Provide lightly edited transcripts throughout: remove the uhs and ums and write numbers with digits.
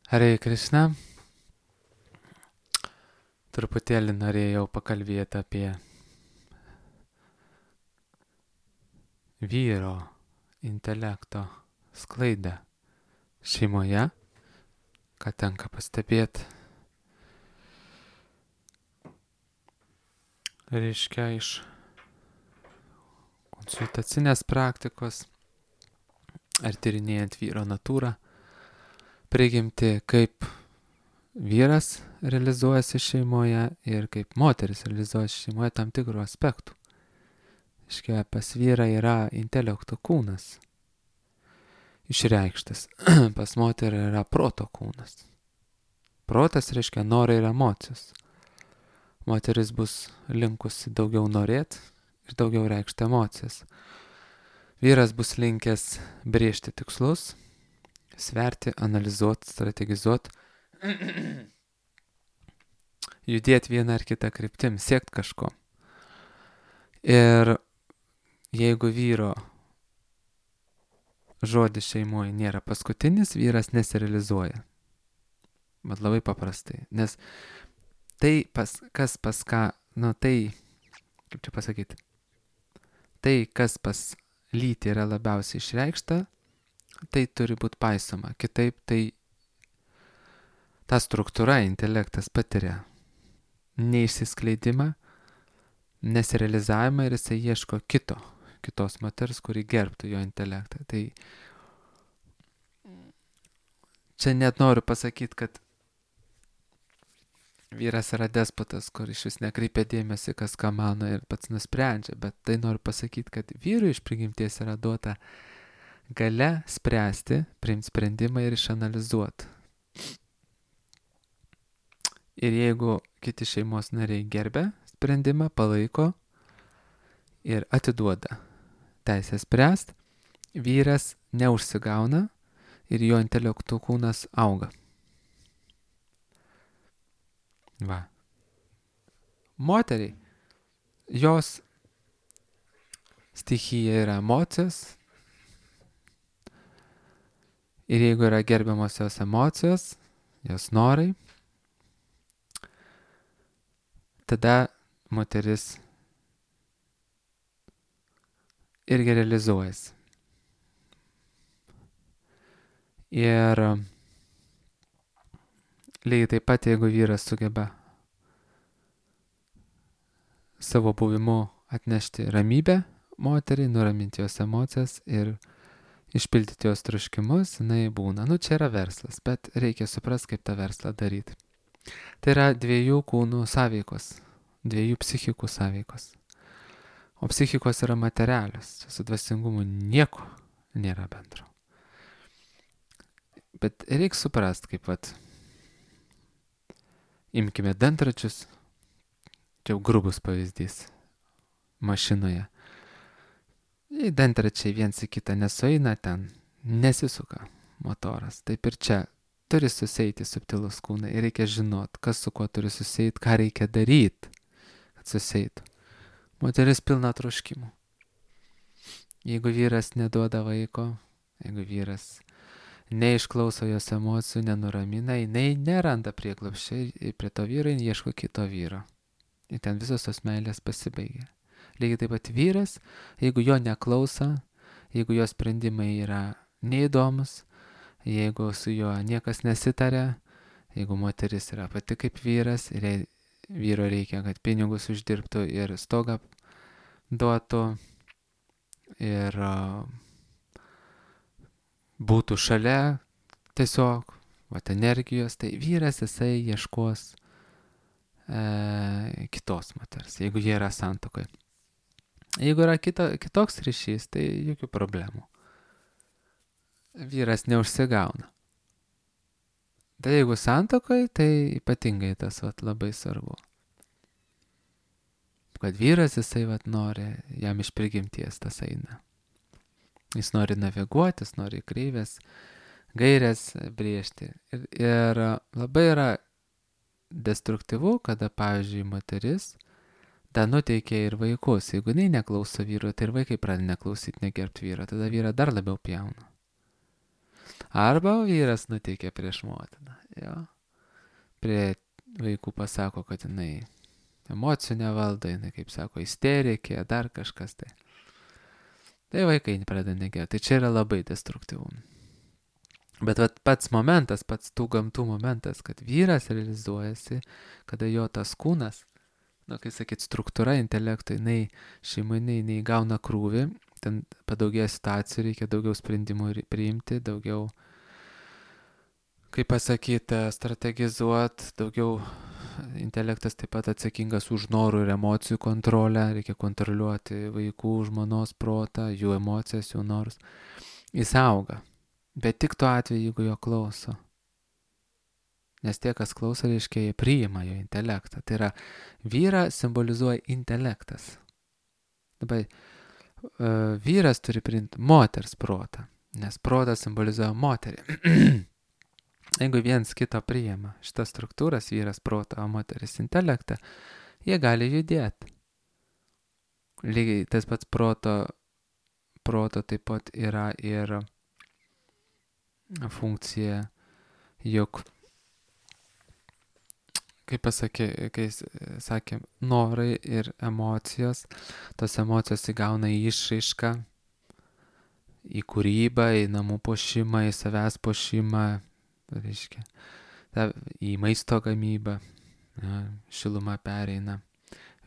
Hare Krishna, truputėlį norėjau pakalbėti apie vyro intelekto sklaidą šeimoje, ką tenka pastebėti, reiškia iš konsultacinės praktikos ar tyrinėjant vyro natūrą, prigimti, kaip vyras realizuojasi šeimoje ir kaip moteris realizuojasi šeimoje tam tikrų aspektų. Reiškia, pas vyrą yra intelekto kūnas išreikštas, pas moterį yra proto kūnas. Protas reiškia norai ir emocijos. Moteris bus linkusi daugiau norėti ir daugiau reikšti emocijas. Vyras bus linkęs brėžti tikslus, sverti, analizuoti, strategizuoti, judėti vieną ar kitą kryptim, siekti kažko. Ir jeigu vyro žodis šeimoje nėra paskutinis, vyras nesirealizuoja. Bet labai paprastai. Nes tai, kas pas ką, kaip čia pasakyti, tai, kas pas lytį yra labiausiai išreikšta, tai turi būti paisoma. Kitaip tai ta struktūra, intelektas patiria neišsiskleidimą, nesirealizavimą ir jisai ieško kitos moters, kuri gerbtų jo intelektą. Tai čia net noriu pasakyti, kad vyras yra despotas, kur iš vis nekreipia dėmesį, kas ką mano ir pats nusprendžia, bet tai noriu pasakyti, kad vyrui iš prigimties yra duota galia spręsti, priimti sprendimą ir išanalizuoti. Ir jeigu kiti šeimos nariai gerbia sprendimą, palaiko ir atiduoda teisę spręsti, vyras neužsigauna ir jo intelektų kūnas auga. Va. Moteriai, jos stichija yra emocijos ir jeigu yra gerbiamos jos emocijos, jos norai, tada moteris irgi realizuojasi. Ir lygiai taip pat, jeigu vyras sugeba savo buvimu atnešti ramybę moteriai, nuraminti jos emocijas ir išpildyti jos troškimus, jinai būna. Čia yra verslas, bet reikia suprasti, kaip tą verslą daryti. Tai yra dviejų kūnų sąveikos, dviejų psichikų sąveikos. O psichikos yra materialios, čia su dvasingumu nieko nėra bendro. Bet reikia suprasti, kaip imkime dantračius, čia jau grubus pavyzdys, mašinoje. Jei dantračiai viens į kitą nesueina, ten nesisuka motoras. Taip ir čia turi susieiti subtilus kūnai ir reikia žinot, kas su kuo turi susieiti, ką reikia daryti, kad susietų. Moteris pilna troškimų. Jeigu vyras neduoda vaiko, jeigu vyras neišklauso jos emocijų, nenuramina, jinai neranda prieglobsčio ir prie to vyro jin ieško kito vyro. Ir ten visos tos meilės pasibaigia. Lygiai taip pat vyras, jeigu jo neklauso, jeigu jo sprendimai yra neįdomus, jeigu su juo niekas nesitarė, jeigu moteris yra pati kaip vyras ir vyro reikia, kad pinigus uždirbtų ir stogą duotų ir būtų šalia tiesiog energijos, tai vyras jisai ieškos kitos moters, jeigu jie yra santuokoje. Jeigu yra kitoks ryšys, tai jokių problemų. Vyras neužsigauna. Tai jeigu santuokoje, tai ypatingai tas labai svarbu. Kad vyras jisai nori, jam iš prigimties tas eina. Jis nori naviguoti, jis nori kreivės, gairės brėžti. Ir labai yra destruktyvu, kada, pavyzdžiui, moteris da nuteikia ir vaikus. Jeigu jinai neklauso vyro, tai ir vaikai pradeda neklausyti, negerbti vyro, tada vyrą dar labiau pjauna. Arba vyras nuteikia prieš motiną. jo. Prie vaikų pasako, kad jinai emocijų nevaldo, jinai, kaip sako, isterikė, dar kažkas tai. Tai vaikai pradeda negėti. Tai čia yra labai destruktyvu. Bet vat, pats momentas, pats tų gamtų momentas, kad vyras realizuojasi, kada jo tas kūnas, kai sakyt, struktūra intelekto, jinai šeiminai, jinai gauna krūvį, ten padaugėja situacijų, reikia daugiau sprendimų priimti, daugiau, kaip pasakyti, strategizuoti, daugiau intelektas taip pat atsakingas už norų ir emocijų kontrolę, reikia kontroliuoti vaikų, žmonos protą, jų emocijas, jų norus. Jis auga, bet tik tuo atveju, jeigu jo klauso. Nes tie, kas klauso, reiškia, jie priima jo intelektą. Tai yra, vyrą simbolizuoja intelektas. Dabar vyras turi priimti moters protą, nes protas simbolizuoja moterį. Jeigu viens kito priima šitas struktūras, vyras protą, o moteris intelektą, jie gali judėti. Lygiai tas pats proto taip pat yra ir funkcija, juk, kaip sakėm, norai ir emocijos, tos emocijos įgauna išraišką į kūrybą, į namų puošimą, į savęs puošimą, reiškia, į maisto gamybą, šiluma pereina.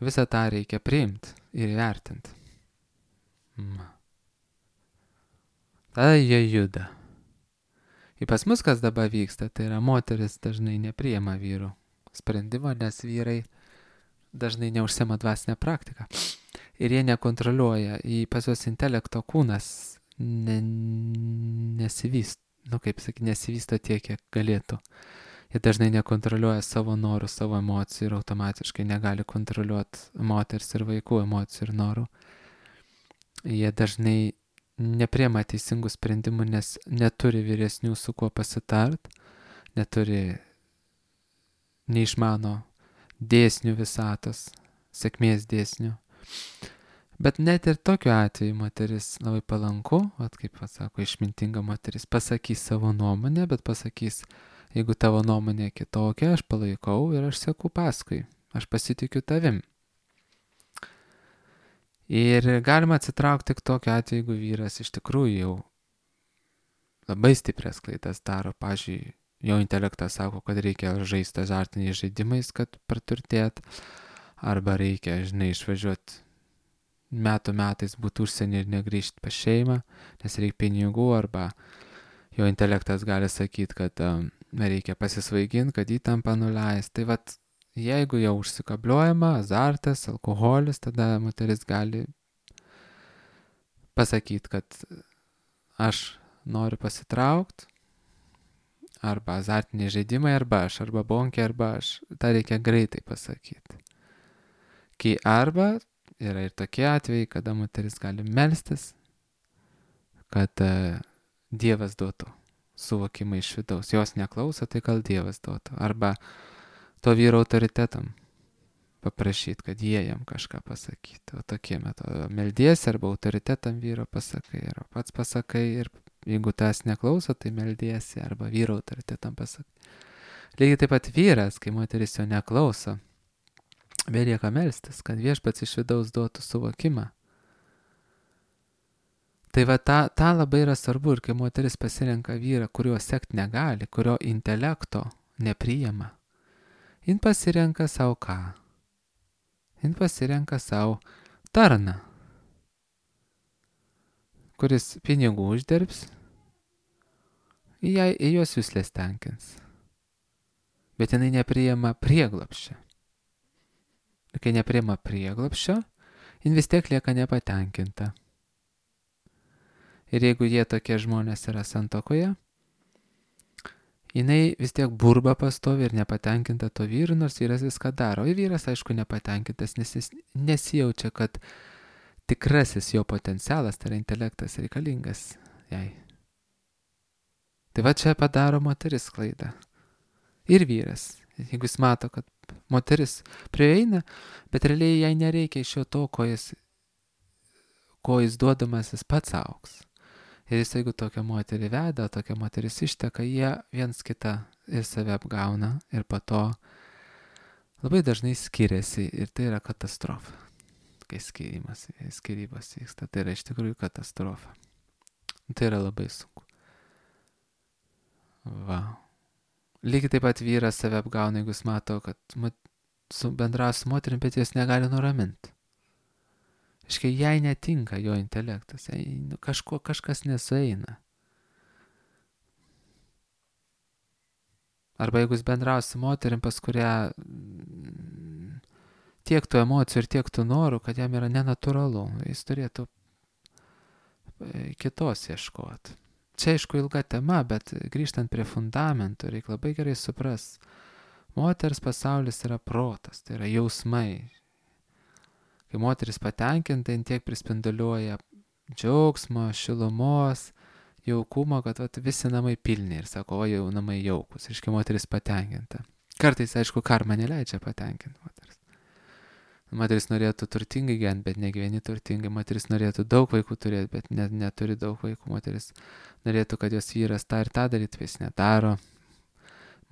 Visą tą reikia priimti ir įvertinti. Tada jie juda. Ir pas mus, kas dabar vyksta, tai yra moteris dažnai nepriima vyrų sprendimo, nes vyrai dažnai neužsiema dvasinę praktiką. Ir jie nekontroliuoja, pas juos intelekto kūnas nesivysto. Nesivysto tiek, kiek galėtų. Jie dažnai nekontroliuoja savo norų, savo emocijų ir automatiškai negali kontroliuoti moters ir vaikų emocijų ir norų. Jie dažnai nepriema teisingų sprendimų, nes neturi vyresnių su kuo pasitart, neišmano dėsnių visatos, sėkmės dėsnių. Bet net ir tokiu atveju moteris labai palanku, kaip sako, išmintinga moteris, pasakys savo nuomonę, bet pasakys, jeigu tavo nuomonė kitokia, aš palaikau ir aš seku paskui, aš pasitikiu tavim. Ir galima atsitraukti tik tokiu atveju, jeigu vyras iš tikrųjų jau labai stiprias klaidas daro. Pavyzdžiui, jo intelektas sako, kad reikia žaisti azartiniais žaidimais, kad praturtėt, arba reikia, išvažiuoti metais būti užsienį ir negrįžti pas šeimą, nes reikia pinigų, arba jo intelektas gali sakyti, kad reikia pasisvaiginti, kad įtampą nuleis. Tai vat, jeigu jau užsikabliuojama, azartas, alkoholis, tada moteris gali pasakyti, kad aš noriu pasitraukti, arba azartiniai žaidimai, arba bonkė, arba aš. Ta reikia greitai pasakyti. Kai arba yra ir tokie atvejai, kada moteris gali melstis, kad Dievas duotų suvokimą iš vidaus. Jos neklauso, tai gal Dievas duotų. Arba to vyro autoritetam paprašyti, kad jie jam kažką pasakytų. O tokie metodai. Meldiesi arba autoritetam vyro pasakai, arba pats pasakai, ir jeigu tas neklauso, tai meldiesi arba vyro autoritetam pasakai. Lygiai taip pat vyras, kai moteris jo neklauso, belieka melstis, kad viešpats iš vidaus duotų suvokimą. Tai va, ta labai yra svarbu, ir kai moteris pasirenka vyrą, kurio sekti negali, kurio intelekto nepriima, jin pasirenka savo ką? Jin pasirenka savo tarną, kuris pinigų uždirbs, į jos juslės tenkins. Bet jinai nepriima prieglobsčio. Ir kai nepriima prieglobsčio, jin vis tiek lieka nepatenkinta. Ir jeigu jie tokie žmonės yra santuokoje, jinai vis tiek burba pastovi ir nepatenkinta to vyru, nors vyras viską daro. Ir vyras, aišku, nepatenkintas, nes jis nesijaučia, kad tikrasis jo potencialas, tai yra intelektas, reikalingas jai. Tai va čia padaro moteris klaidą. Ir vyras, jeigu jis mato, kad moteris prieina, bet realiai jai nereikia iš jo to, ko jis duodamas, jis pats auks. Ir jis, jeigu tokia moterį veda, tokia moteris išteka, jie viens kitą ir save apgauna ir po to labai dažnai skiriasi ir tai yra katastrofa. Kai skyrybos vyksta, tai yra iš tikrųjų katastrofa. Tai yra labai sunku. Va. Lygiai taip pat vyras save apgauna, jeigu jis mato, kad bendrauja su moterim, bet jis negali nuraminti. Iškai jai netinka jo intelektas, kažkas nesueina. Arba jeigu jis bendrauja su moterim, pas kurią tiek tų emocijų ir tiek tų norų, kad jam yra nenatūralu, jis turėtų kitos ieškoti. Čia aišku ilga tema, bet grįžtant prie fundamentų, reikia labai gerai supras. Moters pasaulis yra protas, tai yra jausmai. Kai moteris patenkinta, jin tiek prispinduliuoja džiaugsmo, šilumos, jaukumo, kad visi namai pilni ir sako, o jau namai jaukus, reiškia moteris patenkinta. Kartais, aišku, karma neleidžia patenkinti moteris. Moteris norėtų turtingai gyventi, bet negyveni turtingai. Moteris norėtų daug vaikų turėti, bet neturi daug vaikų. Moteris norėtų, kad jos vyras tą ir tą darytų, jis nedaro.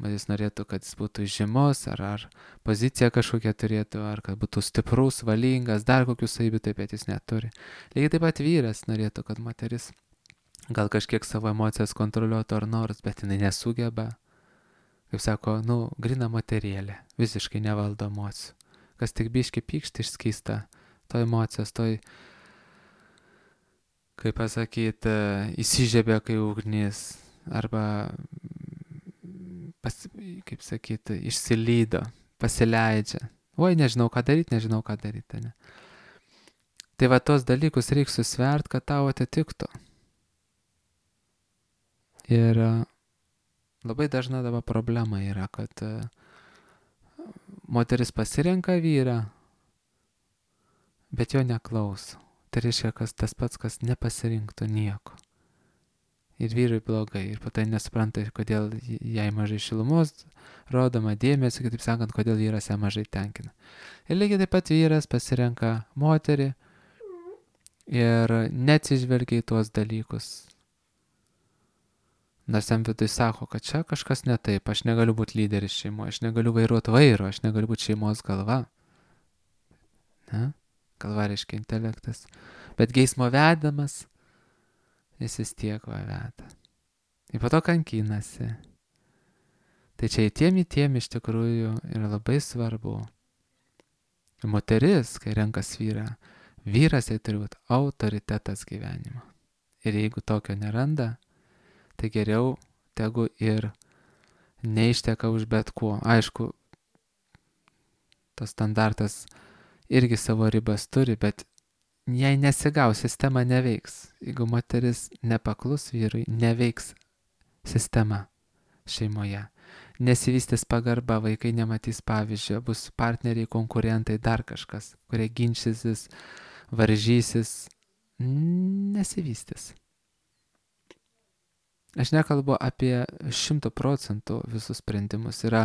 Moteris norėtų, kad jis būtų žymus, ar pozicija kažkokia turėtų, ar kad būtų stiprus, valingas, dar kokių savybių, taip bet jis neturi. Lygiai taip pat vyras norėtų, kad moteris gal kažkiek savo emocijas kontroliuotų ar nors, bet jinai nesugeba. Kaip sako, grina moterėlė, visiškai nevaldo emocijų. Kas tik biški pykšti išskysta, to emocijos, kaip pasakyti, įsižiebė kai ugnis, arba, kaip sakyti, išsilydo, pasileidžia. Oi, nežinau ką daryti, ne? Tai va tos dalykus reikia susvert, kad tau atitiktų. Ir labai dažna dabar problema yra, kad moteris pasirenka vyrą, bet jo neklauso. Tai reiškia, tas pats, kas nepasirinktų nieko. Ir vyrui blogai. Ir po tai nesupranta, kodėl jai mažai šilumos rodoma dėmesio, kitaip sakant, kodėl vyras ją mažai tenkina. Ir lygiai taip pat vyras pasirenka moterį ir neatsižvelgia į tuos dalykus. Nors jam vidui sako, kad čia kažkas ne taip, aš negaliu būti lyderis šeimoje, aš negaliu vairuoti vairo, aš negaliu būti šeimos galva. Ne? Galva reiškia intelektas. Bet geismo vedamas, jis vis tiek veda. Ir po to kankinasi. Tai čia įtiem iš tikrųjų yra labai svarbu. Moteris, kai renkas vyrą, vyras jai turi būti autoritetas gyvenimo. Ir jeigu tokio neranda, tai geriau tegu ir neišteka už bet kuo. Aišku, tas standartas irgi savo ribas turi, bet jei nesigaus, sistema neveiks. Jeigu moteris nepaklus vyrui, neveiks sistema šeimoje. Nesivystys pagarba, vaikai nematys pavyzdžio, bus partneriai, konkurentai, dar kažkas, kurie ginčysis, varžysis, nesivystys. Aš nekalbu apie 100% visus sprendimus. Yra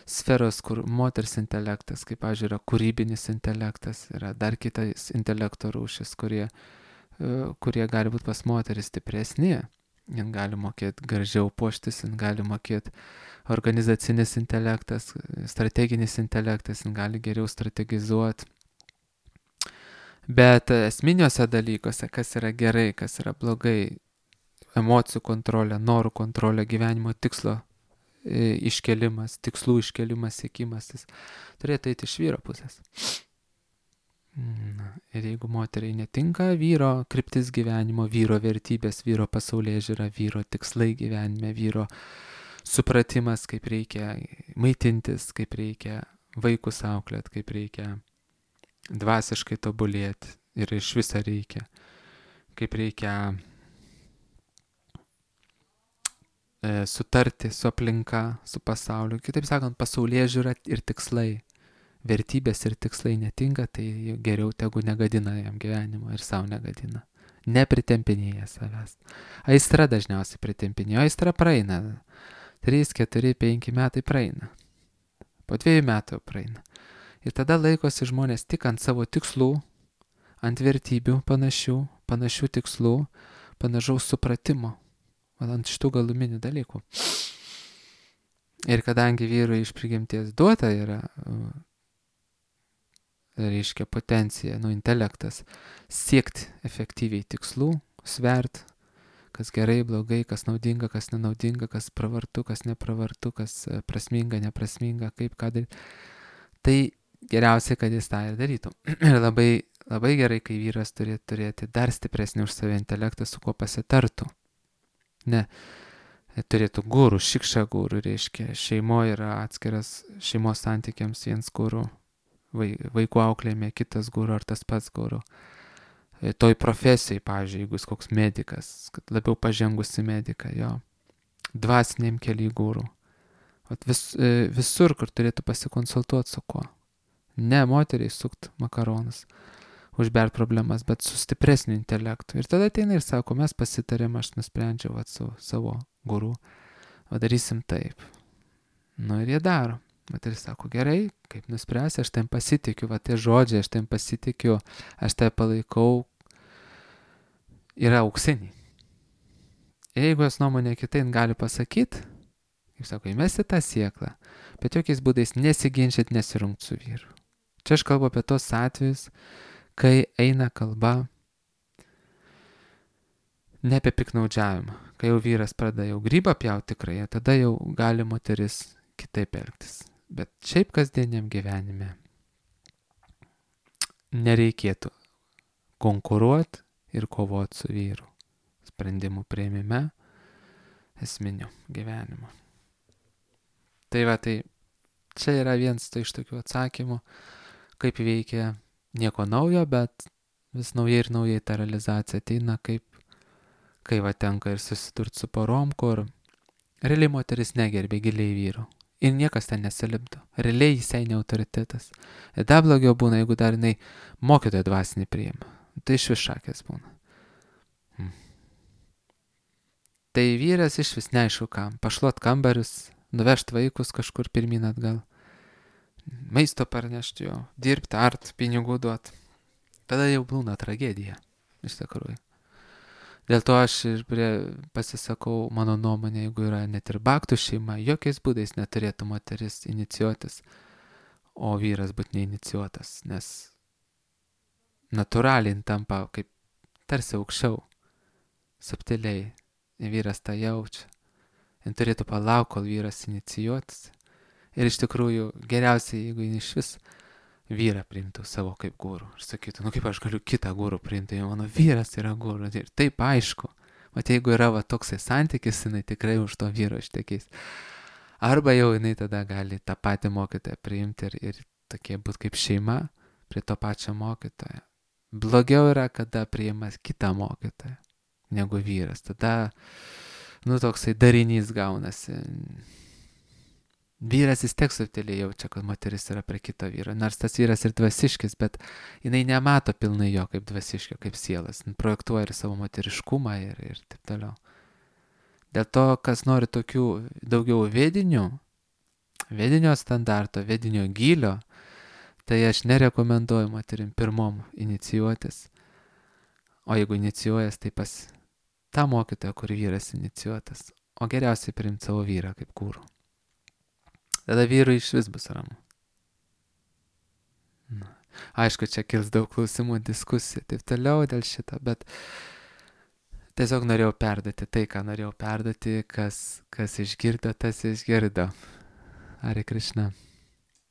sferos, kur moters intelektas, kaip, pavyzdžiui, yra kūrybinis intelektas, yra dar kitas intelekto rūšis, kurie gali būti pas moteris stipresni. Jin gali mokėti gražiau puoštis, jin gali mokėti organizacinis intelektas, strateginis intelektas, jin gali geriau strategizuoti. Bet esminiuose dalykuose, kas yra gerai, kas yra blogai, emocijų kontrolė, norų kontrolė, gyvenimo tikslo iškelimas, tikslų iškelimas, siekimas, jis turėtų eiti iš vyro pusės. Ir jeigu moteriai netinka vyro kryptis gyvenimo, vyro vertybės, vyro pasaulėžiūra, vyro tikslai gyvenime, vyro supratimas, kaip reikia maitintis, kaip reikia vaikus auklėti, kaip reikia dvasiškai tobulėti ir iš viso reikia, kaip reikia sutarti su aplinka, su pasauliu. Kitaip sakant, pasaulėžiūra ir tikslai, vertybės ir tikslai netinka, tai geriau tegu negadina jam gyvenimo ir savo negadina. Nepritempinėja savęs. Aistra dažniausiai pritempinėja, aistra praeina. 3, 4, 5 metai praeina. Po 2 metų praeina. Ir tada laikosi žmonės tik ant savo tikslų, ant vertybių panašių tikslų, panašaus supratimo. Ant šitų galuminių dalykų. Ir kadangi vyrui iš prigimties duota yra, reiškia, potencija, intelektas, siekti efektyviai tikslų, svert, kas gerai, blogai, kas naudinga, kas nenaudinga, kas pravartu, kas nepravartu, kas prasminga, neprasminga, kaip ką daryti, tai geriausia, kad jis tą ir darytų. Ir labai, labai gerai, kai vyras turėtų turėti dar stipresnį už save intelektą, su kuo pasitartų. Ne, turėtų gurų, šikša gurų, reiškia, šeimoje yra atskiras šeimos santykiams viens gurų, vaikų auklėjime kitas gurų ar tas pats gurų. Toj profesijai, pavyzdžiui, jeigu jis koks medikas, kad labiau pažengusi medika, jo, dvasiniam keliai gurų. Visur, kur turėtų pasikonsultuoti su kuo. Ne moteriai sukt makaronus, užbert problemas, bet su stipresniu intelektu. Ir tada ateina ir sako, mes pasitarėm, aš nusprendžiau su savo guru, o darysim taip. Ir jie daro. Moteris sako, gerai, kaip nuspręsi, aš tam pasitikiu, tie žodžiai, aš tam pasitikiu, aš tai palaikau, yra auksiniai. Ir jeigu jos nuomonė kitai gali pasakyti, kaip sako, įmesti tą sieklą, bet jokiais būdais nesiginčyti, nesirungti su vyru. Čia aš kalbu apie tos atvejus, kai eina kalba ne apie piknaudžiavimą. Kai jau vyras pradeda jau grybą pjauti tikrai, tada jau gali moteris kitaip elgtis. Bet šiaip kasdieniam gyvenime nereikėtų konkuruoti ir kovoti su vyru. Sprendimų priėmime, esminių gyvenimo. Tai čia yra vienas iš tokių atsakymų, kaip veikia nieko naujo, bet vis naujai ir naujai ta realizacija ateina, kai tenka ir susidurti su porom, kur realiai moteris negerbė giliai vyrų. Ir niekas ten nesilipdo. Realiai jisai ne autoritetas. Ir dar blogiau būna, jeigu dar jinai mokytojo dvasinį priima. Tai iš vis šakės būna. Tai vyras iš vis neaišku kam. Pašluot kambarius, nuvežt vaikus kažkur pirmin atgal. Maisto parnešti jo, dirbti, art, pinigų duot. Tada jau būna tragedija. Iš tikrųjų. Dėl to aš ir pasisakau, mano nuomonė, jeigu yra net ir baktų šeima, jokiais būdais neturėtų moteris inicijuotis, o vyras būti neinicijuotas, nes natūraliai tampa kaip tarsi aukščiau, subtiliai, vyras tą jaučia. Jis turėtų palaukti, kol vyras inicijuotis. Ir iš tikrųjų geriausiai, jeigu jis iš vis vyrą priimtų savo kaip gurų. Ir sakytų, kaip aš galiu kitą gurų priimti, mano vyras yra gurų. Ir taip aišku. Jeigu yra toksai santykis, jinai tikrai už to vyro ištekės. Arba jau jinai tada gali tą patį mokytoją priimti ir tokie būti kaip šeima prie to pačio mokytojo. Blogiau yra, kada priima kitą mokytoją negu vyras. Tada, toksai darinys gaunasi. Vyras vis tiek subtiliai jaučia, kad moteris yra prie kito vyro, nors tas vyras ir dvasiškis, bet jinai nemato pilnai jo kaip dvasiškio, kaip sielas, projektuoja ir savo moteriškumą ir taip toliau. Dėl to, kas nori tokių daugiau vedinio standarto, vedinio gylio, tai aš nerekomenduoju moterim pirmom inicijuotis, o jeigu inicijuojas, tai pas tą mokytoją, kur vyras inicijuotas, o geriausiai priimti savo vyrą kaip gurų. Tada vyrui iš vis bus ramu. Aišku, čia kils daug klausimų, diskusijų, taip toliau dėl šito, bet tiesiog norėjau perduoti tai, ką norėjau perduoti, kas išgirdo, tas išgirdo. Hare Krishna.